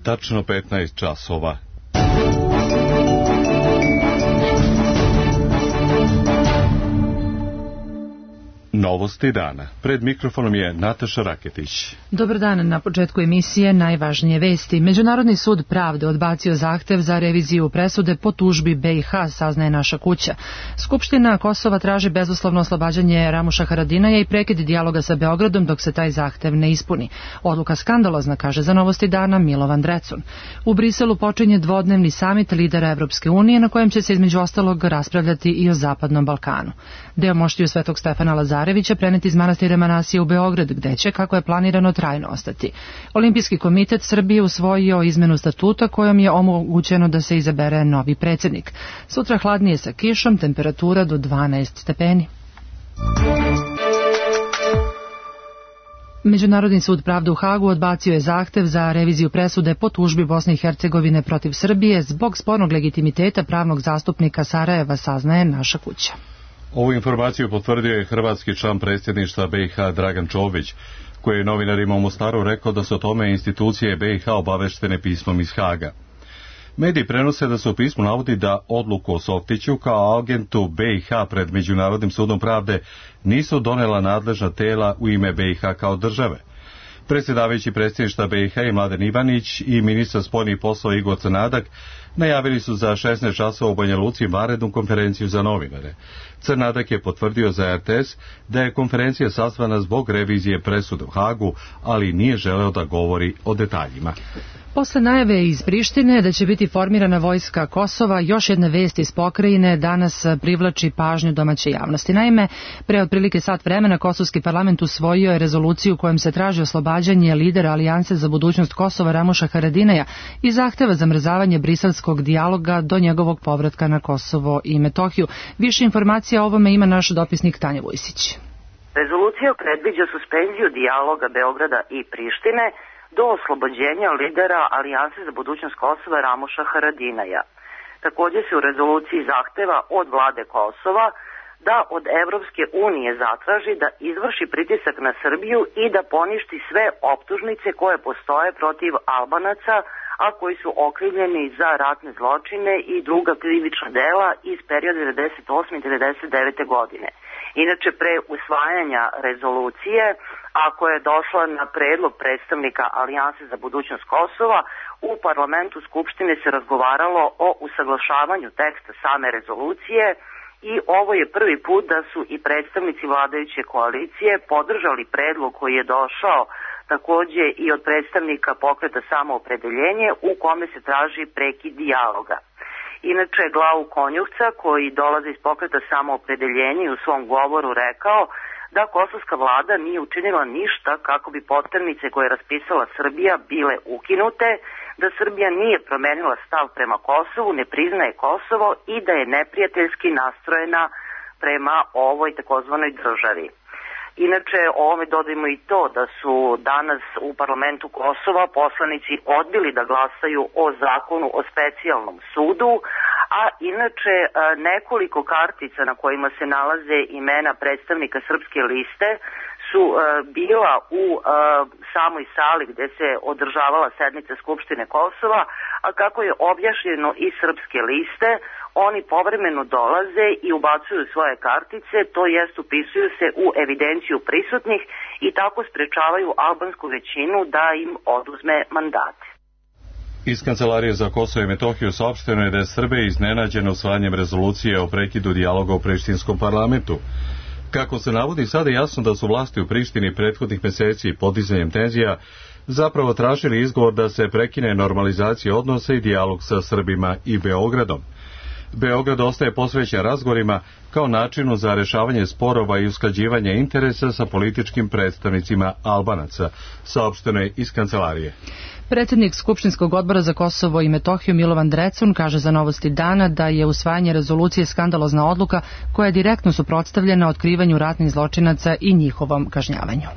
tačno 15 časova. Novosti dana. Pred mikrofonom je Nataša Raketić. Dobar dan. Na početku emisije najvažnije vesti. Međunarodni sud pravde odbacio zahtev za reviziju presude po tužbi BiH, saznaje Naša kuća. Skupština Kosova traži bezuslovno oslobađanje Ramuša Haradinaja i prekid dijaloga sa Beogradom dok se taj zahtev ne ispuni. Odluka skandalozna, kaže za Novosti dana Milovan Drecun. U Briselu počinje dvodnevni samit lidera Evropske unije na kojem će se između ostalog raspravljati i o Zapadnom Balkanu. Deo moštiju Svetog Stefana Lazarevića preneti iz manastira Manasije u Beograd, gde će, kako je planirano, trajno ostati. Olimpijski komitet Srbije usvojio izmenu statuta kojom je omogućeno da se izabere novi predsjednik. Sutra hladnije sa kišom, temperatura do 12 stepeni. Međunarodni sud pravde u Hagu odbacio je zahtev za reviziju presude po tužbi Bosne i Hercegovine protiv Srbije zbog spornog legitimiteta pravnog zastupnika Sarajeva, saznaje Naša kuća. Ovu informaciju potvrdio je hrvatski član predsjedništva BiH Dragan Čović, koji je novinarima u Mostaru rekao da su o tome institucije BiH obaveštene pismom iz Haga. Mediji prenose da se u pismu navodi da odluku o Softiću kao agentu BiH pred Međunarodnim sudom pravde nisu donela nadležna tela u ime BiH kao države. Predsjedavajući predsjedništva BiH i Mladen Ivanić i ministar spoljnih poslova Igor Crnadak najavili su za 16 časova u Banja Luci vanrednu konferenciju za novinare. Crnadak je potvrdio za RTS da je konferencija sazvana zbog revizije presude u Hagu, ali nije želeo da govori o detaljima. Posle najave iz Prištine da će biti formirana vojska Kosova, još jedna vest iz pokrajine danas privlači pažnju domaće javnosti. Naime, pre otprilike sat vremena Kosovski parlament usvojio je rezoluciju kojom se traži oslobađanje lidera Alijanse za budućnost Kosova Ramuša Haradinaja i zahteva zamrzavanje briselskog dijaloga do njegovog povratka na Kosovo i Metohiju. Više informacija o ovome ima naš dopisnik Tanja Vujsić. Rezolucija predviđa suspenziju dijaloga Beograda i Prištine do oslobođenja lidera Alijanse za budućnost Kosova Ramuša Haradinaja. Također se u rezoluciji zahteva od vlade Kosova da od Evropske unije zatraži da izvrši pritisak na Srbiju i da poništi sve optužnice koje postoje protiv Albanaca, a koji su okrivljeni za ratne zločine i druga krivična dela iz perioda 1998. i 1999. godine. Inače, pre usvajanja rezolucije, ako je došla na predlog predstavnika Alijanse za budućnost Kosova, u parlamentu Skupštine se razgovaralo o usaglašavanju teksta same rezolucije i ovo je prvi put da su i predstavnici vladajuće koalicije podržali predlog koji je došao također i od predstavnika pokreta Samoopredeljenje u kome se traži prekid dijaloga. Inače, Glavu Konjuhca, koji dolazi iz pokreta Samoopredeljenje, u svom govoru rekao da kosovska vlada nije učinila ništa kako bi poternice koje je raspisala Srbija bile ukinute, da Srbija nije promenila stav prema Kosovu, ne priznaje Kosovo i da je neprijateljski nastrojena prema ovoj takozvanoj državi. Inače, ovome dodajmo i to da su danas u parlamentu Kosova poslanici odbili da glasaju o zakonu o specijalnom sudu, a inače nekoliko kartica na kojima se nalaze imena predstavnika Srpske liste su bila u samoj sali gde se održavala sednica Skupštine Kosova, a kako je objašnjeno iz Srpske liste, oni povremeno dolaze i ubacuju svoje kartice, to jest upisuju se u evidenciju prisutnih i tako sprečavaju albansku većinu da im oduzme mandate. Iz Kancelarije za Kosovo i Metohiju saopšteno je da je Srbija iznenađena usvajanjem rezolucije o prekidu dijaloga u prištinskom parlamentu. Kako se navodi, sada je jasno da su vlasti u Prištini prethodnih meseci podizanjem tenzija zapravo tražili izgovor da se prekine normalizacija odnosa i dijalog sa Srbima i Beogradom. Beograd ostaje posvećen razgovorima kao načinu za rešavanje sporova i usklađivanje interesa sa političkim predstavnicima Albanaca, saopšteno je iz Kancelarije. Predsjednik Skupštinskog odbora za Kosovo i Metohiju Milovan Drecun kaže za Novosti dana da je usvajanje rezolucije skandalozna odluka koja je direktno suprotstavljena otkrivanju ratnih zločinaca i njihovom kažnjavanju.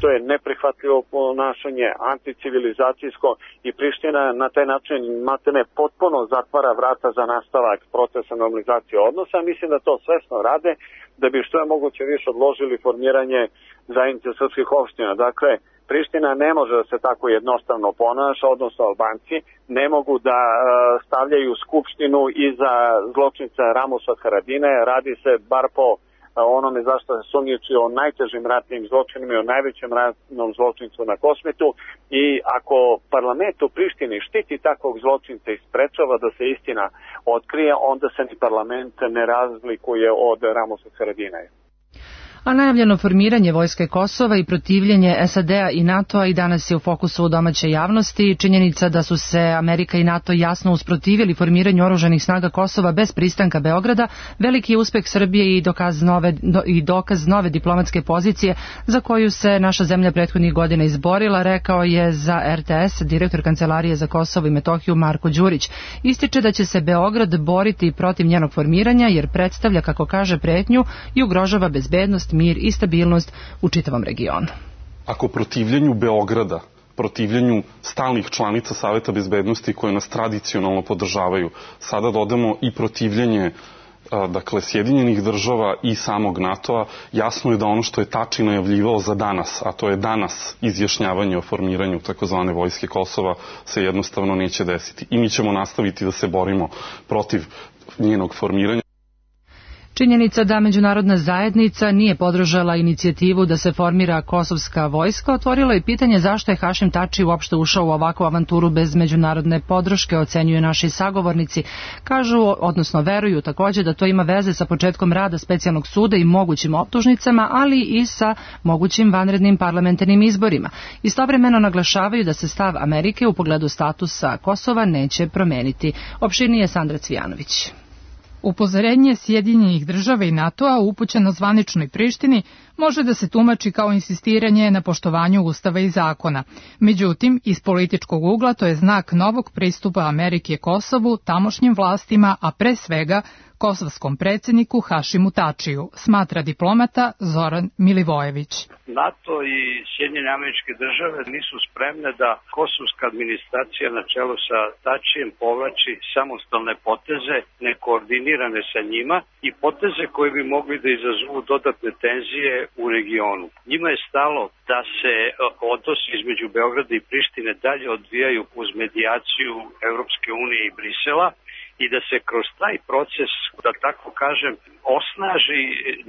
To je neprihvatljivo ponašanje, anticivilizacijsko i Priština na taj način maltene potpuno zatvara vrata za nastavak procesa normalizacije odnosa. Mislim da to svesno rade da bi što je moguće više odložili formiranje zajednice srpskih opština. Dakle, Priština ne može da se tako jednostavno ponaša, odnosno Albanci ne mogu da stavljaju skupštinu iza zločinca Ramuša Haradine. Radi se bar po onome zašto se sumnjiči o najtežim ratnim zločinima i o najvećem ratnom zločincu na Kosmetu. I ako parlament u Prištini štiti takvog zločinca i sprečava da se istina otkrije, onda se ni parlament ne razlikuje od Ramuša Haradina. A najavljeno formiranje vojske Kosova i protivljenje SAD-a i NATO-a i danas je u fokusu domaće javnosti. Činjenica da su se Amerika i NATO jasno usprotivili formiranju oružanih snaga Kosova bez pristanka Beograda, veliki je uspeh Srbije i dokaz nove diplomatske pozicije za koju se naša zemlja prethodnih godina izborila, rekao je za RTS direktor Kancelarije za Kosovo i Metohiju Marko Đurić. Ističe da će se Beograd boriti protiv njenog formiranja jer predstavlja, kako kaže, pretnju i ugrožava bezbednost, mir i stabilnost u čitavom regionu. Ako protivljenju Beograda, protivljenju stalnih članica Saveta bezbednosti koje nas tradicionalno podržavaju, sada dodamo i protivljenje Sjedinjenih država i samog NATO-a, jasno je da ono što je Tači najavljivao za danas, a to je danas izjašnjavanje o formiranju takozvane vojske Kosova, se jednostavno neće desiti. I mi ćemo nastaviti da se borimo protiv njenog formiranja. Činjenica da međunarodna zajednica nije podržala inicijativu da se formira kosovska vojska otvorilo je pitanje zašto je Hašim Tači uopšte ušao u ovakvu avanturu bez međunarodne podrške, ocenjuju naši sagovornici. Kažu, odnosno veruju također da to ima veze sa početkom rada specijalnog suda i mogućim optužnicama, ali i sa mogućim vanrednim parlamentarnim izborima. Istovremeno naglašavaju da se stav Amerike u pogledu statusa Kosova neće promeniti. Opširnije Sandra Cvijanović. Upozorenje Sjedinjenih država i NATO-a upućeno zvaničnoj Prištini može da se tumači kao insistiranje na poštovanju Ustava i zakona. Međutim, iz političkog ugla to je znak novog pristupa Amerike Kosovu, tamošnjim vlastima, a pre svega kosovskom predsjedniku Hašimu Tačiju, smatra diplomata Zoran Milivojević. NATO i Sjedinjene Američke Države nisu spremne da kosovska administracija na čelu sa Tačijem povlači samostalne poteze, nekoordinirane sa njima i poteze koje bi mogli da izazovu dodatne tenzije u regionu. Njima je stalo da se odnosi između Beograda i Prištine dalje odvijaju uz medijaciju Evropske unije i Brisela i da se kroz taj proces, da tako kažem, osnaži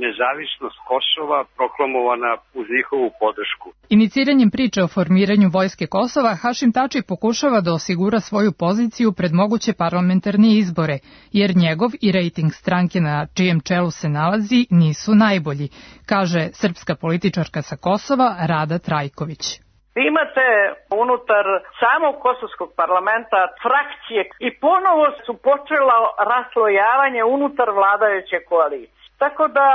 nezavisnost Kosova proklamovana uz njihovu podršku. Iniciranjem priče o formiranju vojske Kosova, Hašim Tači pokušava da osigura svoju poziciju pred moguće parlamentarne izbore, jer njegov i rejting stranke na čijem čelu se nalazi nisu najbolji, kaže srpska političarka sa Kosova Rada Trajković. Vi imate unutar samog kosovskog parlamenta frakcije i ponovo su počela raslojavanje unutar vladajuće koalicije. Tako da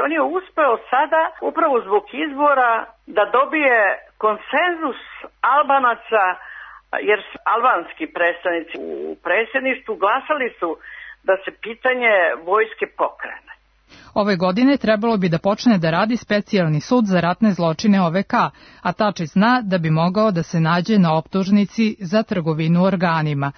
on je uspeo sada, upravo zbog izbora, da dobije konsenzus Albanaca, jer albanski predstavnici u predsjedništvu glasali su da se pitanje vojske pokrene. Ove godine trebalo bi da počne da radi specijalni sud za ratne zločine OVK, a Tači zna da bi mogao da se nađe na optužnici za trgovinu organima.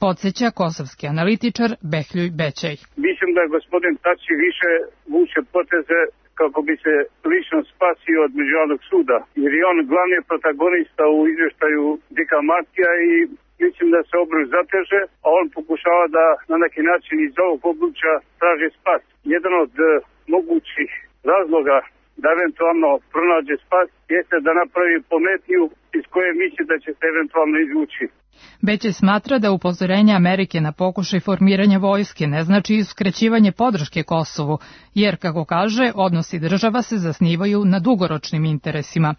Podsjeća kosovski analitičar Behljuj Bećej. Mislim da je gospodin Tači više vuče poteze kako bi se lično spasio od međunarodnog suda, jer je on glavni protagonista u izvještaju Dika Matija i mislim da se obruč zateže, a on pokušava da na neki način iz ovog obruča traži spas. Jedan od mogućih razloga da eventualno pronađe spas jeste da napravi pometnju iz koje misli da će se eventualno izvući. Beće smatra da upozorenje Amerike na pokušaj formiranja vojske ne znači uskraćivanje podrške Kosovu, jer, kako kaže, odnosi država se zasnivaju na dugoročnim interesima.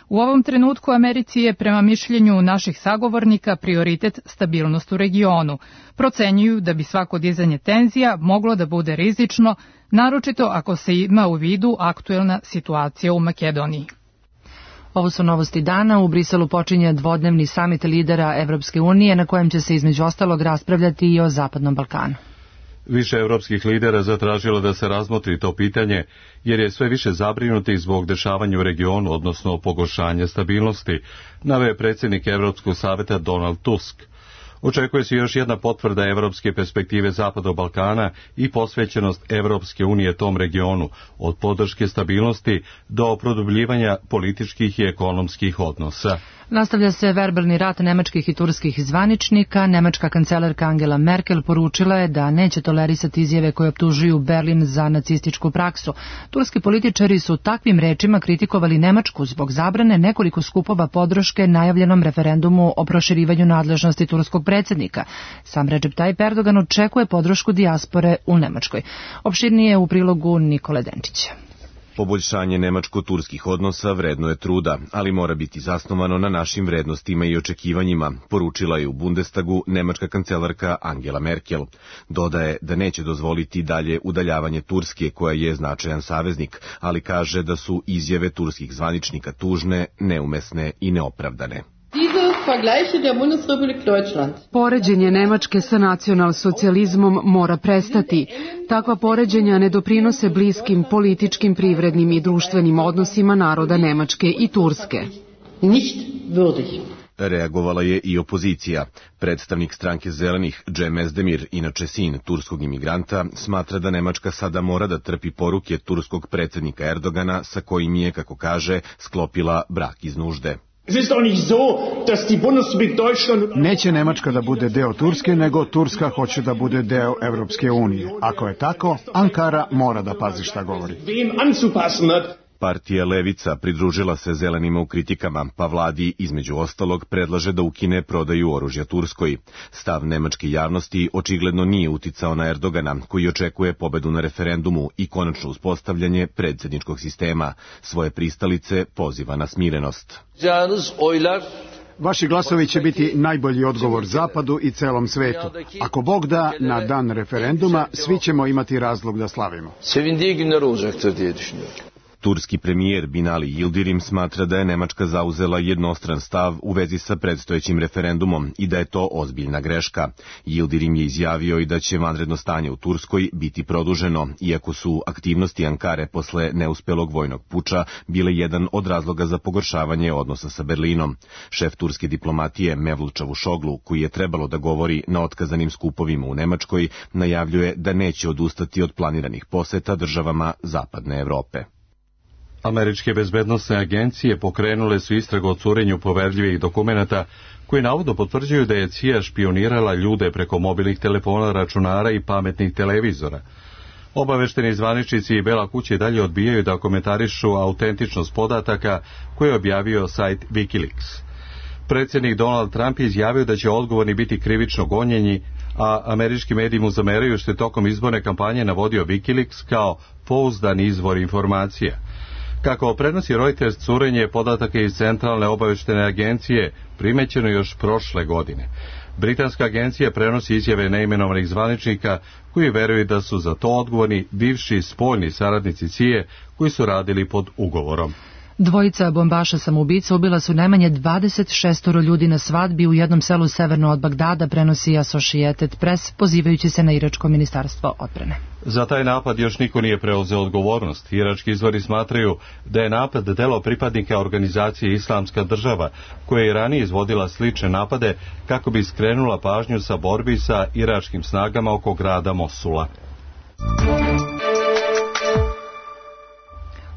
U ovom trenutku Americi je, prema mišljenju naših sagovornika, prioritet stabilnost u regionu. Procenjuju da bi svako dizanje tenzija moglo da bude rizično, naročito ako se ima u vidu aktuelna situacija u Makedoniji. Ovo su novosti dana. U Briselu počinje dvodnevni samit lidera Evropske unije na kojem će se između ostalog raspravljati i o Zapadnom Balkanu. Više evropskih lidera zatražilo da se razmotri to pitanje, jer je sve više zabrinutih zbog dešavanja u regionu, odnosno pogoršanja stabilnosti, naveo predsjednik Evropskog saveta Donald Tusk. Očekuje se još jedna potvrda evropske perspektive Zapadnog Balkana i posvećenost Evropske unije tom regionu, od podrške stabilnosti do produbljivanja političkih i ekonomskih odnosa. Nastavlja se verbalni rat nemačkih i turskih zvaničnika. Nemačka kancelarka Angela Merkel poručila je da neće tolerisati izjave koje optužuju Berlin za nacističku praksu. Turski političari su takvim rečima kritikovali Nemačku zbog zabrane nekoliko skupova podrške najavljenom referendumu o proširivanju nadležnosti turskog predsjednika. Sam Recep Tayyip Erdogan očekuje podršku dijaspore u Nemačkoj. Opširnije u prilogu Nikole Denčića. Poboljšanje nemačko-turskih odnosa vredno je truda, ali mora biti zasnovano na našim vrednostima i očekivanjima, poručila je u Bundestagu nemačka kancelarka Angela Merkel. Dodaje da neće dozvoliti dalje udaljavanje Turske, koja je značajan saveznik, ali kaže da su izjave turskih zvaničnika tužne, neumesne i neopravdane. Poređenje Nemačke sa nacionalsocijalizmom mora prestati. Takva poređenja ne doprinose bliskim političkim, privrednim i društvenim odnosima naroda Nemačke i Turske. Reagovala je i opozicija. Predstavnik stranke Zelenih, Cem Özdemir, inače sin turskog imigranta, smatra da Nemačka sada mora da trpi poruke turskog predsjednika Erdogana, sa kojim je, kako kaže, sklopila brak iz nužde. Neće Nemačka da bude deo Turske, nego Turska hoće da bude deo Evropske unije. Ako je tako, Ankara mora da pazi šta govori. Partija Levica pridružila se Zelenima u kritikama, pa vladi, između ostalog, predlaže da ukine prodaju oružja Turskoj. Stav nemačke javnosti očigledno nije uticao na Erdogana, koji očekuje pobedu na referendumu i konačno uspostavljanje predsjedničkog sistema. Svoje pristalice poziva na smirenost. Vaši glasovi će biti najbolji odgovor Zapadu i celom svetu. Ako Bog da, na dan referenduma svi ćemo imati razlog da slavimo. Turski premijer Binali Yildirim smatra da je Nemačka zauzela jednostran stav u vezi sa predstojećim referendumom i da je to ozbiljna greška. Yildirim je izjavio i da će vanredno stanje u Turskoj biti produženo, iako su aktivnosti Ankare posle neuspelog vojnog puča bile jedan od razloga za pogoršavanje odnosa sa Berlinom. Šef turske diplomatije Mevlut Čavuşoglu, koji je trebalo da govori na otkazanim skupovima u Nemačkoj, najavljuje da neće odustati od planiranih poseta državama Zapadne Evrope. Američke bezbednosne agencije pokrenule su istragu o curenju poverljivih dokumenata koji navodno potvrđuju da je CIA špionirala ljude preko mobilnih telefona, računara i pametnih televizora. Obavešteni zvaničnici i Bela kuća i dalje odbijaju da komentarišu autentičnost podataka koje je objavio sajt Wikileaks. Predsjednik Donald Trump je izjavio da će odgovorni biti krivično gonjeni, a američki mediji mu zameraju što je tokom izborne kampanje navodio Wikileaks kao pouzdan izvor informacija. Kako prenosi Reuters, curenje podataka iz Centralne obaveštene agencije primećeno još prošle godine. Britanska agencija prenosi izjave neimenovanih zvaničnika koji veruju da su za to odgovorni bivši spoljni saradnici CIA koji su radili pod ugovorom. Dvojica bombaša samoubica ubila su najmanje 26 ljudi na svadbi u jednom selu severno od Bagdada, prenosi Associated Press, pozivajući se na iračko ministarstvo odbrane. Za taj napad još niko nije preuzeo odgovornost. Irački izvori smatraju da je napad delo pripadnika organizacije Islamska država, koja je ranije izvodila slične napade kako bi skrenula pažnju sa borbi sa iračkim snagama oko grada Mosula.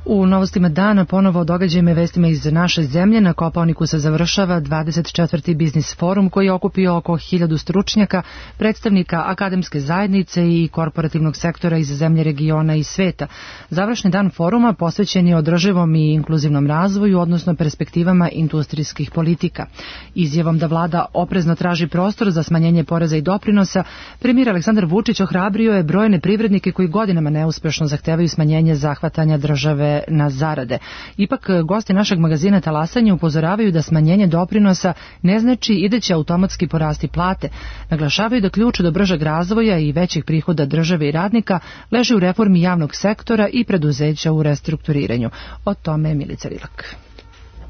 U novostima dana ponovo o događajima i vestima iz naše zemlje. Na Kopaoniku se završava 24. biznis forum koji je okupio oko 1000 stručnjaka, predstavnika akademske zajednice i korporativnog sektora iz zemlje, regiona i sveta. Završni dan foruma posvećen je održivom i inkluzivnom razvoju, odnosno perspektivama industrijskih politika. Izjavom da vlada oprezno traži prostor za smanjenje poreza i doprinosa, premijer Aleksandar Vučić ohrabrio je brojne privrednike koji godinama neuspešno zahtevaju smanjenje zahvatanja države na zarade. Ipak, gosti našeg magazina Talasanje upozoravaju da smanjenje doprinosa ne znači i da će automatski porasti plate. Naglašavaju da ključ do bržeg razvoja i većih prihoda države i radnika leži u reformi javnog sektora i preduzeća u restrukturiranju. O tome je Milica Rilak.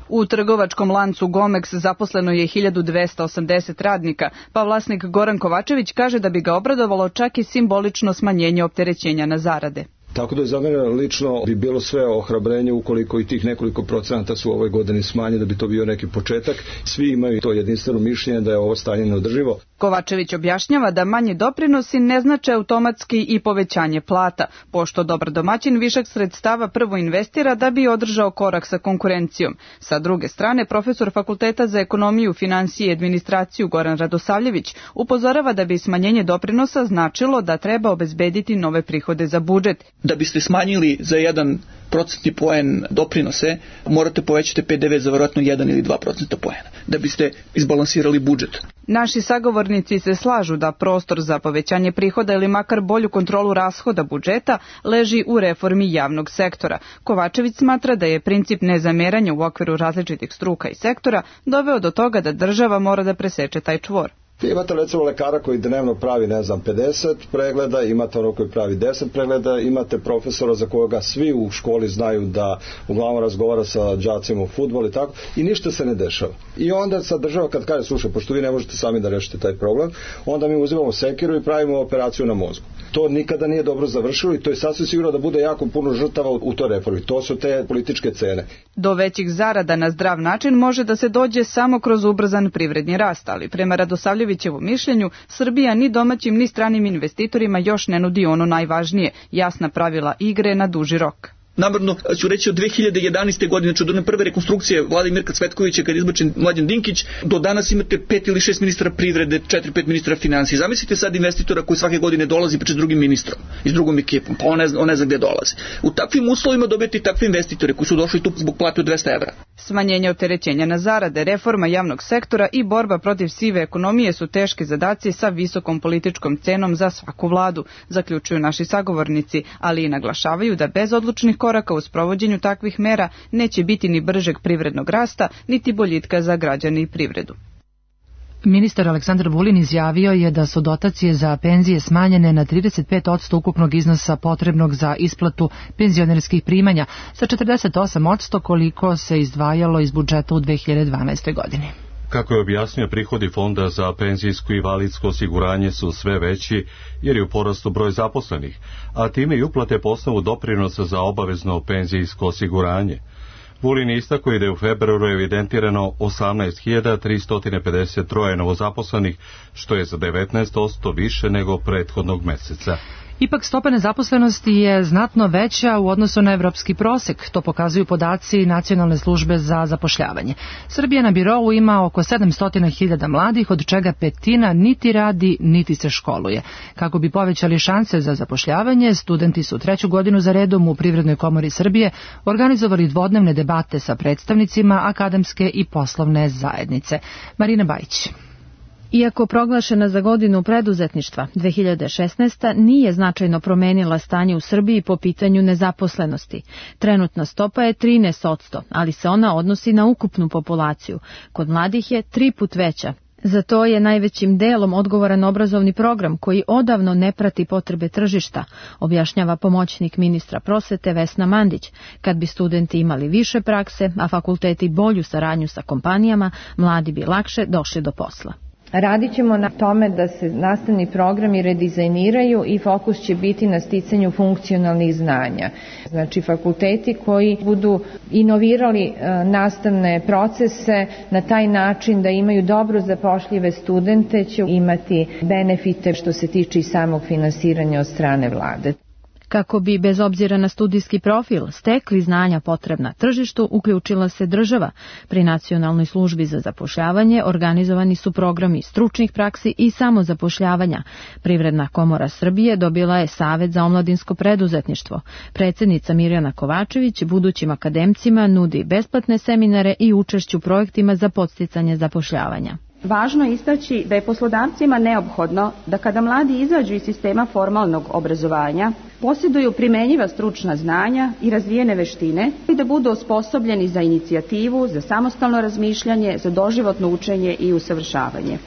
U trgovačkom lancu Gomex zaposleno je 1280 radnika, pa vlasnik Goran Kovačević kaže da bi ga obradovalo čak i simbolično smanjenje opterećenja na zarade. Tako da za mene lično bi bilo sve ohrabrenje ukoliko i tih nekoliko procenata su u ovoj godini smanje, da bi to bio neki početak. Svi imaju to jedinstveno mišljenje da je ovo stanje neodrživo. Kovačević objašnjava da manji doprinosi ne znače automatski i povećanje plata, pošto dobar domaćin višak sredstava prvo investira da bi održao korak sa konkurencijom. Sa druge strane, profesor Fakulteta za ekonomiju, finansije i administraciju Goran Radosavljević upozorava da bi smanjenje doprinosa značilo da treba obezbediti nove prihode za budžet. Da biste smanjili za 1% poen doprinose, morate povećati PDV za verovatno 1 ili 2% poena, da biste izbalansirali budžet. Naši sagovornici se slažu da prostor za povećanje prihoda ili makar bolju kontrolu rashoda budžeta leži u reformi javnog sektora. Kovačević smatra da je princip nezameranja u okviru različitih struka i sektora doveo do toga da država mora da preseče taj čvor. Imate recimo lekara koji dnevno pravi, 50 pregleda, imate ono koji pravi 10 pregleda, imate profesora za koga svi u školi znaju da uglavnom razgovara sa đacima u fudbal i tako, i ništa se ne dešava. I onda sad država kad kaže, slušaj, pošto vi ne možete sami da rešite taj problem, onda mi uzimamo sekiru i pravimo operaciju na mozgu. To nikada nije dobro završilo i to je sasvim sigurno da bude jako puno žrtava u toj reformi. To su te političke cene. Do većih zarada na zdrav način može da se dođe samo kroz ubrzan privredni rast, ali prema Radosavljevićevom mišljenju, Srbija ni domaćim ni stranim investitorima još ne nudi ono najvažnije, jasna pravila igre na duži rok. Namerno ću reći od 2011. godine, znači od one prve rekonstrukcije vlade Mirka Cvetkovića kad je izbačen Mlađan Dinkić, do danas imate 5 ili 6 ministra privrede, 4-5 ministra finansija. Zamislite sad investitora koji svake godine dolazi priča s drugim ministrom i s drugom ekipom, pa on ne zna gde dolazi. U takvim uslovima dobijete i takve investitore koji su došli tu zbog plate od 200 evra. Smanjenje opterećenja na zarade, reforma javnog sektora i borba protiv sive ekonomije su teški zadaci sa visokom političkom cenom za svaku vladu, zaključuju naši sagovornici, ali i naglašavaju da bez odlučnih koraka u sprovođenju takvih mera neće biti ni bržeg privrednog rasta, niti boljitka za građane i privredu. Ministar Aleksandar Vulin izjavio je da su dotacije za penzije smanjene na 35% ukupnog iznosa potrebnog za isplatu penzionerskih primanja, sa 48% koliko se izdvajalo iz budžeta u 2012. godini. Kako je objasnio, prihodi Fonda za penzijsko i invalidsko osiguranje su sve veći jer je u porastu broj zaposlenih, a time i uplate po osnovu doprinosa za obavezno penzijsko osiguranje. Vulin istakao je da je u februaru evidentirano 18.353 novozaposlenih, što je za 19% više nego prethodnog meseca. Ipak stopa nezaposlenosti je znatno veća u odnosu na evropski prosek, to pokazuju podaci Nacionalne službe za zapošljavanje. Srbija na birou ima oko 700.000 mladih, od čega petina niti radi, niti se školuje. Kako bi povećali šanse za zapošljavanje, studenti su 3. godinu za redom u Privrednoj komori Srbije organizovali dvodnevne debate sa predstavnicima akademske i poslovne zajednice. Marina Bajić. Iako proglašena za godinu preduzetništva, 2016. nije značajno promenila stanje u Srbiji po pitanju nezaposlenosti. Trenutna stopa je 13%, ali se ona odnosi na ukupnu populaciju. Kod mladih je 3 put veća. Za to je najvećim delom odgovoran obrazovni program koji odavno ne prati potrebe tržišta, objašnjava pomoćnik ministra prosvete Vesna Mandić. Kad bi studenti imali više prakse, a fakulteti bolju saradnju sa kompanijama, mladi bi lakše došli do posla. Radit ćemo na tome da se nastavni programi redizajniraju i fokus će biti na sticanju funkcionalnih znanja. Znači fakulteti koji budu inovirali nastavne procese na taj način da imaju dobro zapošljive studente će imati benefite što se tiče i samog finansiranja od strane vlade. Kako bi, bez obzira na studijski profil, stekli znanja potrebna tržištu, uključila se država. Pri Nacionalnoj službi za zapošljavanje organizovani su programi stručnih praksi i samozapošljavanja. Privredna komora Srbije dobila je Savet za omladinsko preduzetništvo. Predsednica Mirjana Kovačević budućim akademcima nudi besplatne seminare i učešću u projektima za podsticanje zapošljavanja. Važno je istaći da je poslodavcima neophodno da kada mladi izađu iz sistema formalnog obrazovanja, posjeduju primenjiva stručna znanja i razvijene veštine i da budu osposobljeni za inicijativu, za samostalno razmišljanje, za doživotno učenje i usavršavanje.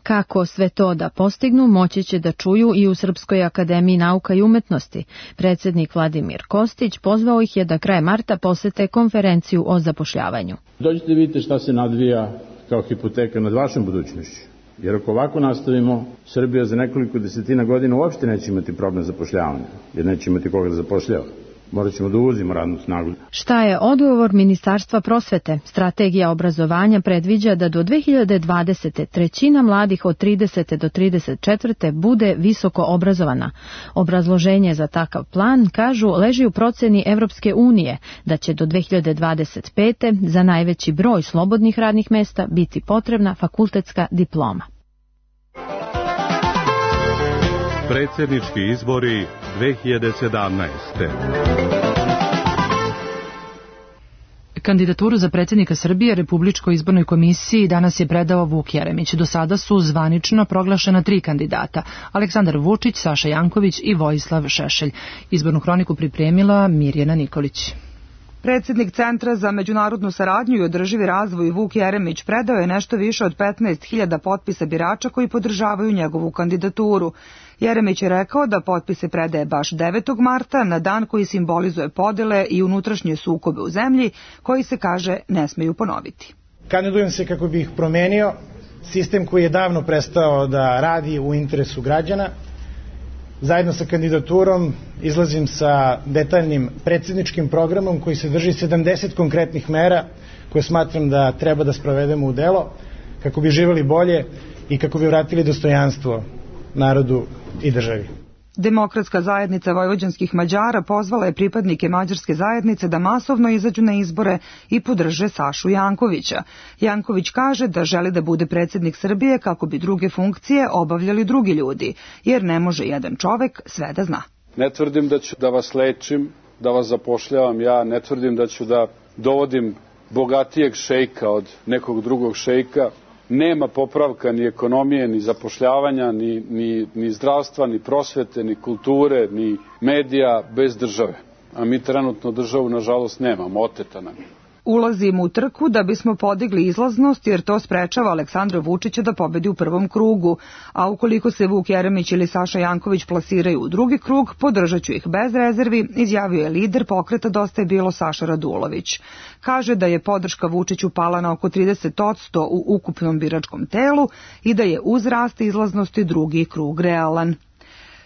Kako sve to da postignu, moći će da čuju i u Srpskoj akademiji nauka i umetnosti. Predsednik Vladimir Kostić pozvao ih je da krajem marta posete konferenciju o zapošljavanju. Dođite da vidite šta se nadvija kao hipoteka nad vašom budućnošću. Jer ako ovako nastavimo, Srbija za nekoliko desetina godina uopšte neće imati problem zapošljavanja, jer neće imati koga da zapošljava. morat ćemo da uvozimo radnu snagu. Šta je odgovor Ministarstva prosvete? Strategija obrazovanja predviđa da do 2020. trećina mladih od 30. do 34. bude visoko obrazovana. Obrazloženje za takav plan, kažu, leži u proceni Evropske unije da će do 2025. za najveći broj slobodnih radnih mesta biti potrebna fakultetska diploma. Predsjednički izbori 2017. Kandidaturu za predsjednika Srbije Republičkoj izbornoj komisiji danas je predao Vuk Jeremić. Do sada su zvanično proglašena 3 kandidata: Aleksandar Vučić, Saša Janković i Vojislav Šešelj. Izbornu hroniku pripremila Mirjana Nikolić. Predsjednik Centra za međunarodnu saradnju i održivi razvoj Vuk Jeremić predao je nešto više od 15.000 potpisa birača koji podržavaju njegovu kandidaturu. Jeremić je rekao da potpise predaje baš 9. marta, na dan koji simbolizuje podele i unutrašnje sukobe u zemlji, koji se, kaže, ne smeju ponoviti. Kandidujem se kako bih promenio sistem koji je davno prestao da radi u interesu građana. Zajedno sa kandidaturom izlazim sa detaljnim predsjedničkim programom koji se drži 70 konkretnih mera koje smatram da treba da sprovedemo u delo kako bi živjeli bolje i kako bi vratili dostojanstvo narodu i državi. Demokratska zajednica vojvođanskih Mađara pozvala je pripadnike mađarske zajednice da masovno izađu na izbore i podrže Sašu Jankovića. Janković kaže da želi da bude predsjednik Srbije kako bi druge funkcije obavljali drugi ljudi, jer ne može jedan čovek sve da zna. Ne tvrdim da ću da vas lečim, da vas zapošljavam ja, ne tvrdim da ću da dovodim bogatijeg šejka od nekog drugog šejka. Nema popravka ni ekonomije, ni zapošljavanja, ni zdravstva, ni prosvete, ni kulture, ni medija bez države. A mi trenutno državu, nažalost, nemamo, oteta nam je. Ulazimo u trku da bismo podigli izlaznost, jer to sprečava Aleksandra Vučića da pobedi u prvom krugu, a ukoliko se Vuk Jeremić ili Saša Janković plasiraju u drugi krug, podržat ću ih bez rezervi, izjavio je lider pokreta Dosta je bilo Saša Radulović. Kaže da je podrška Vučiću pala na oko 30% u ukupnom biračkom telu i da je uz rast izlaznosti drugi krug realan.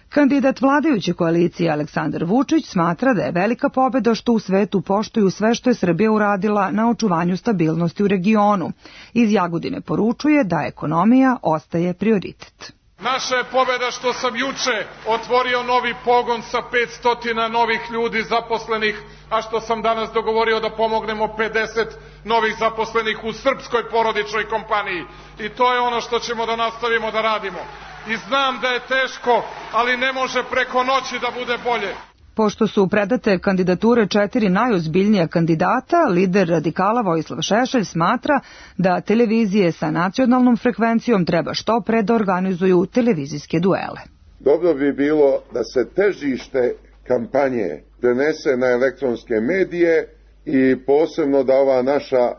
Kandidat vladajuće koalicije Aleksandar Vučić smatra da je velika pobeda što u svetu poštuju sve što je Srbija uradila na očuvanju stabilnosti u regionu. Iz Jagodine poručuje da ekonomija ostaje prioritet. Naša je pobeda što sam juče otvorio novi pogon sa 500 novih ljudi zaposlenih, a što sam danas dogovorio da pomognemo 50 novih zaposlenih u srpskoj porodičnoj kompaniji. I to je ono što ćemo da nastavimo da radimo. I znam da je teško, ali ne može preko noći da bude bolje. Pošto su predate kandidature 4 najozbiljnija kandidata, lider radikala Vojislav Šešelj smatra da televizije sa nacionalnom frekvencijom treba što pre da organizuju televizijske duele. Dobro bi bilo da se težište kampanje prenese na elektronske medije i posebno da ova naša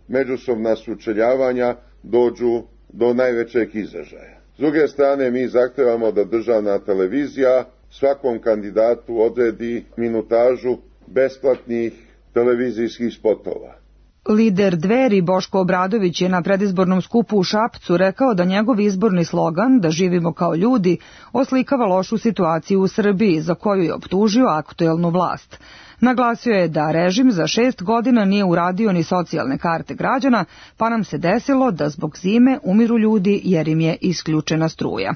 međusobna sučeljavanja dođu do najvećeg izražaja. S druge strane, mi zahtevamo da državna televizija svakom kandidatu odredi minutažu besplatnih televizijskih spotova. Lider Dveri Boško Obradović je na predizbornom skupu u Šapcu rekao da njegov izborni slogan "Da živimo kao ljudi" oslikava lošu situaciju u Srbiji, za koju je optužio aktuelnu vlast. Naglasio je da režim za 6 godina nije uradio ni socijalne karte građana, pa nam se desilo da zbog zime umiru ljudi jer im je isključena struja.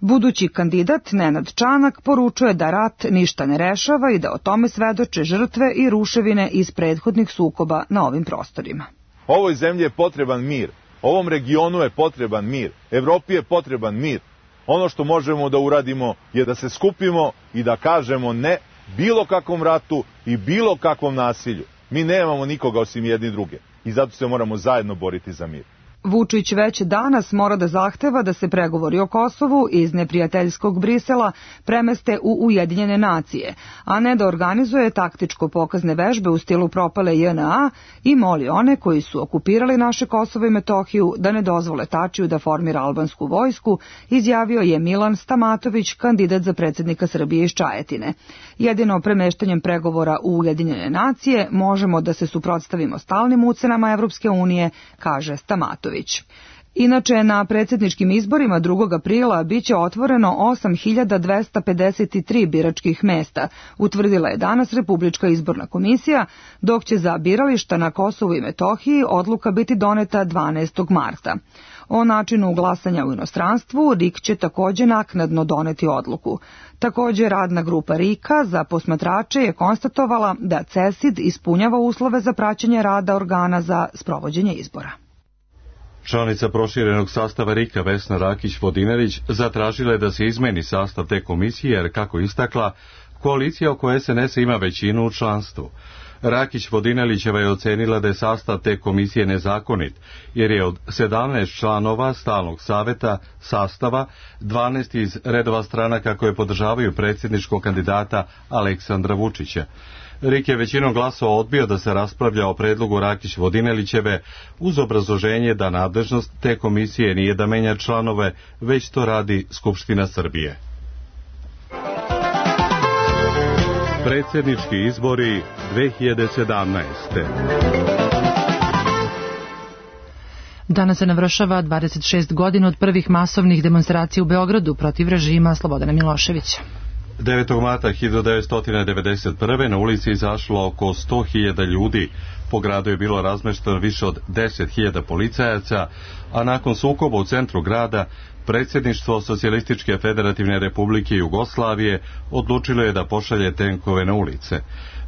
Budući kandidat Nenad Čanak poručuje da rat ništa ne rešava i da o tome svedoče žrtve i ruševine iz prethodnih sukoba na ovim prostorima. Ovoj zemlji je potreban mir, ovom regionu je potreban mir, Evropi je potreban mir. Ono što možemo da uradimo je da se skupimo i da kažemo ne bilo kakvom ratu i bilo kakvom nasilju. Mi nemamo nikoga osim jedni druge i zato se moramo zajedno boriti za mir. Vučić već danas mora da zahteva da se pregovori o Kosovu iz neprijateljskog Brisela premeste u Ujedinjene nacije, a ne da organizuje taktičko-pokazne vežbe u stilu propale JNA i moli one koji su okupirali naše Kosovo i Metohiju da ne dozvole Tačiju da formira albansku vojsku, izjavio je Milan Stamatović, kandidat za predsjednika Srbije iz Čajetine. Jedino premeštanjem pregovora u Ujedinjene nacije možemo da se suprotstavimo stalnim ucenama Evropske unije, kaže Stamatović. Inače, na predsjedničkim izborima 2. aprila biće otvoreno 8.253 biračkih mesta, utvrdila je danas Republička izborna komisija, dok će za birališta na Kosovu i Metohiji odluka biti doneta 12. marta. O načinu glasanja u inostranstvu RIK će također naknadno doneti odluku. Također, radna grupa RIK-a za posmatrače je konstatovala da CESID ispunjava uslove za praćenje rada organa za sprovođenje izbora. Članica proširenog sastava RIK-a Vesna Rakić-Vodinelić zatražila je da se izmeni sastav te komisije jer, kako istakla, koalicija oko SNS ima većinu u članstvu. Rakić-Vodinelićeva je ocenila da je sastav te komisije nezakonit, jer je od 17 članova stalnog saveta sastava 12 iz redova stranaka koje podržavaju predsjedničkog kandidata Aleksandra Vučića. RIK je većinom glasova odbio da se raspravlja o predlogu Rakić-Vodinelićeve uz obrazloženje da nadležnost te komisije nije da menja članove, već to radi Skupština Srbije. Predsjednički izbori 2017. Danas se navršava 26 godina od prvih masovnih demonstracija u Beogradu protiv režima Slobodana Miloševića. 9. marta 1991. na ulici izašlo oko 100.000 ljudi. Po gradu je bilo razmešteno više od 10.000 policajaca, a nakon sukoba u centru grada, predsjedništvo Socijalističke federativne republike Jugoslavije odlučilo je da pošalje tenkove na ulice.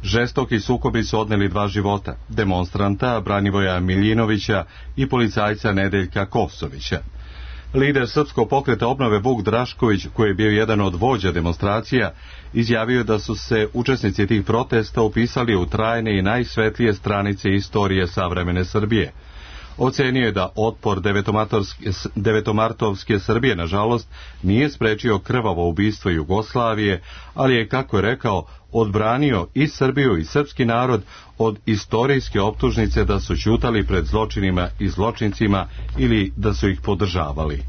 Žestoki sukobi su odneli 2 života, demonstranta Branivoja Miljinovića i policajca Nedeljka Kosovića. Lider Srpskog pokreta obnove Vuk Drašković, koji je bio jedan od vođa demonstracija, izjavio da su se učesnici tih protesta upisali u trajne i najsvetlije stranice istorije savremene Srbije. Ocenio je da otpor devetomartovske Srbije, nažalost, nije sprečio krvavo ubistvo Jugoslavije, ali je, kako je rekao, odbranio i Srbiju i srpski narod od istorijske optužnice da su ćutali pred zločinima i zločincima ili da su ih podržavali.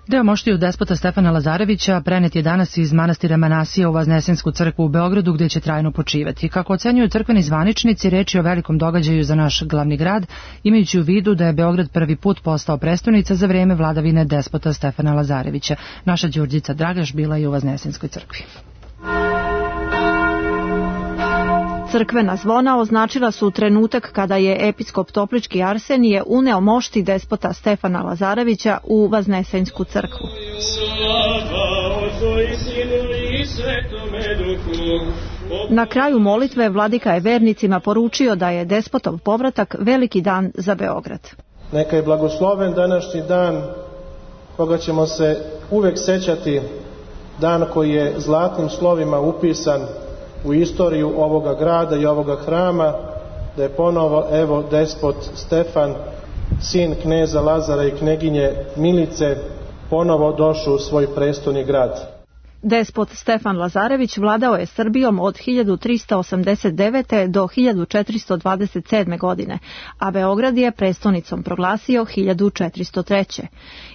Deo moštiju despota Stefana Lazarevića prenet je danas iz manastira Manasija u Vaznesensku crkvu u Beogradu, gdje će trajno počivati. Kako ocenjuju crkveni zvaničnici, reč je o velikom događaju za naš glavni grad, imajući u vidu da je Beograd prvi put postao prestonica za vrijeme vladavine despota Stefana Lazarevića. Naša Đurđica Dragaš bila je u Vaznesenskoj crkvi. Crkvena zvona označila su trenutak kada je episkop Toplički Arsenije uneo mošti despota Stefana Lazarevića u Vaznesensku crkvu. Na kraju molitve vladika je vernicima poručio da je despotov povratak veliki dan za Beograd. Neka je blagosloven današnji dan koga ćemo se uvek sećati, dan koji je zlatnim slovima upisan u istoriju ovoga grada i ovoga hrama, da je ponovo, evo, despot Stefan, sin kneza Lazara i kneginje Milice, ponovo došao u svoj prestolni grad. Despot Stefan Lazarević vladao je Srbijom od 1389. do 1427. godine, a Beograd je prestonicom proglasio 1403.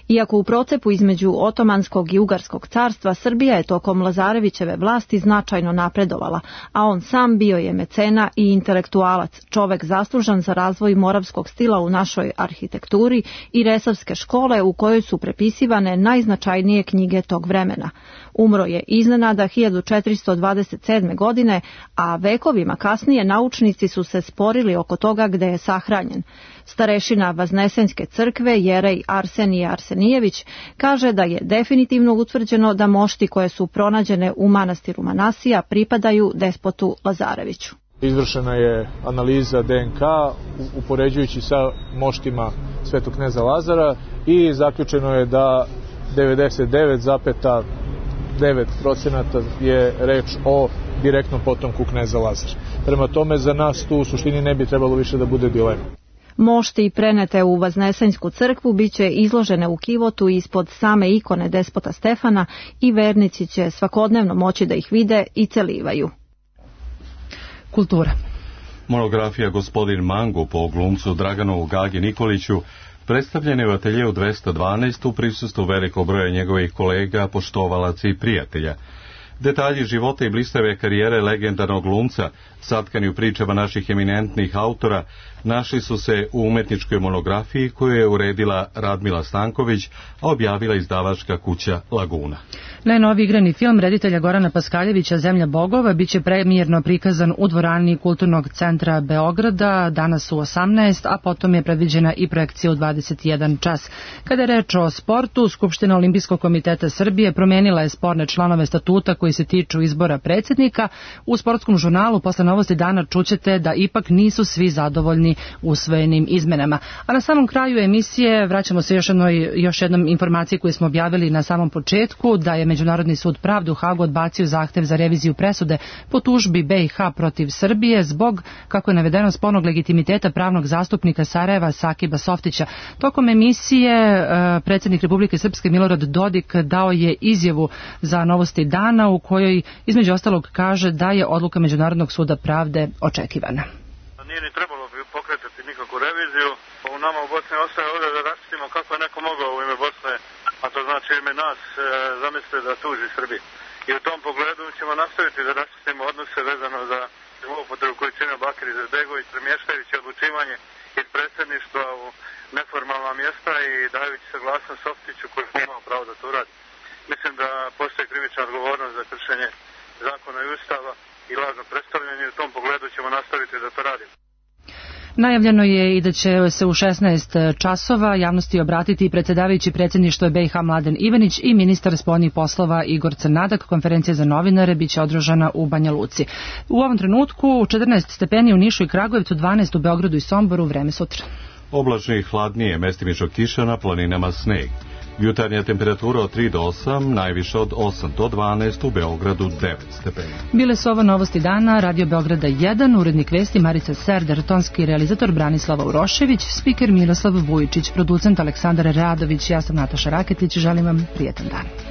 Iako u procepu između Otomanskog i Ugarskog carstva, Srbija je tokom Lazarevićeve vlasti značajno napredovala, a on sam bio je mecena i intelektualac, čovek zaslužan za razvoj moravskog stila u našoj arhitekturi i resavske škole u kojoj su prepisivane najznačajnije knjige tog vremena. Umro je iznenada 1427. godine, a vekovima kasnije naučnici su se sporili oko toga gde je sahranjen. Starešina Vaznesenske crkve, jerej Arsenije Arsenijević, kaže da je definitivno utvrđeno da mošti koje su pronađene u manastiru Manasija pripadaju despotu Lazareviću. Izvršena je analiza DNK upoređujući sa moštima Svetog kneza Lazara i zaključeno je da 99,9% je reč o direktnom potomku kneza Lazara. Prema tome, za nas tu u suštini ne bi trebalo više da bude dilema. Mošti prenete u Vaznesensku crkvu biće izložene u kivotu ispod same ikone despota Stefana i vernici će svakodnevno moći da ih vide i celivaju. Kultura. Monografija Gospodin Mango po glumcu Draganu Gagi Nikoliću predstavljena je u ateljeu 212 u prisustvu velikog broja njegovih kolega, poštovalaca i prijatelja. Detalji života i blistave karijere legendarnog glumca, satkani u pričama naših eminentnih autora, našli su se u umetničkoj monografiji koju je uredila Radmila Stanković, a objavila izdavačka kuća Laguna. Najnoviji igrani film reditelja Gorana Paskaljevića Zemlja bogova biće premijerno prikazan u dvorani Kulturnog centra Beograda danas u 18, a potom je predviđena i projekcija u 21 čas. Kada je reč o sportu, Skupština Olimpijskog komiteta Srbije promenila je sporne članove statuta koji se tiču izbora predsjednika. U sportskom žurnalu posle Novosti dana čućete da ipak nisu svi zadovoljni usvojenim izmenama. A na samom kraju emisije vraćamo se još jednom informaciji koju smo objavili na samom početku, da je Međunarodni sud pravde u Hagu odbacio zahtev za reviziju presude po tužbi BiH protiv Srbije zbog, kako je navedeno, spornog legitimiteta pravnog zastupnika Sarajeva Sakiba Softića. Tokom emisije predsjednik Republike Srpske Milorad Dodik dao je izjavu za Novosti dana u kojoj između ostalog kaže da je odluka Međunarodnog suda pravde očekivana. Nije ni trebalo pokretati nikakvu reviziju. U nama u Bosni ostaje ovdje da raščitimo kako je neko mogao u ime Bosne, a to znači ime nas, zamislite da tuži Srbiji. I u tom pogledu ćemo nastaviti da raščitimo odnose vezano za upotrebu koju čine Bakir Izetbegović, premještajući odlučivanje iz predsjedništva u neformalna mjesta i dajući saglasnost Softiću koji je imao pravo da to radi. Mislim da postoji krivična odgovornost za kršenje zakona i ustava i lažno predstavljanje i u tom pogledu ćemo nastaviti da to radimo. Najavljeno je i da će se u 16 časova javnosti obratiti predsjedavajući predsjedništva BiH Mladen Ivanić i ministar spoljnih poslova Igor Crnadak. Konferencija za novinare biće održana u Banja Luci. U ovom trenutku 14 stepeni u Nišu i Kragujevcu, 12 u Beogradu i Somboru, vreme sutra. Oblačno i hladnije, mestimično kiša, na planinama sneg. Jutarnja temperatura od 3 do 8, najviše od 8 do 12, u Beogradu 9 stepeni. Bile su ovo Novosti dana, Radio Beograda 1, urednik vesti Marica Serder, tonski realizator Branislava Urošević, spiker Miroslav Vujičić, producent Aleksandar Radović, ja sam Nataša Raketić, želim vam prijetan dan.